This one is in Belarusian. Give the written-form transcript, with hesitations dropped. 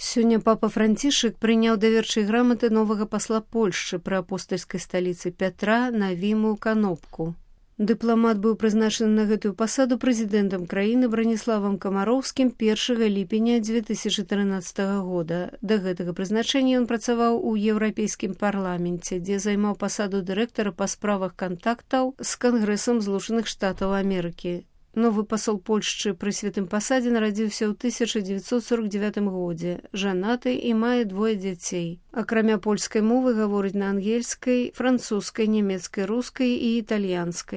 Сёння папа Францішак прыняў даверчай граматы новага пасла Польшчы пры апостальскай сталіцы Пятра Навіму Канопку. Дыпламат быў прызначаны на гэтую пасаду прэзідэнтам краіны Браніславам Камароўскім 1 ліпеня 2013 года. Да гэтага прызначэння ён працаваў у Еўрапейскім парламенце, дзе займаў пасаду дырэктара па справах кантактаў з Кангрэсам Злучаных Штатаў Амерыкі. Новы пасол Польшчы пры святым пасадзе нарадзіўся ў 1949 годзе, жанаты і мае 2 дзяцей. Акрамя польскай мовы гаворыць на ангельскай, французскай, нямецкай, рускай і італьянскай.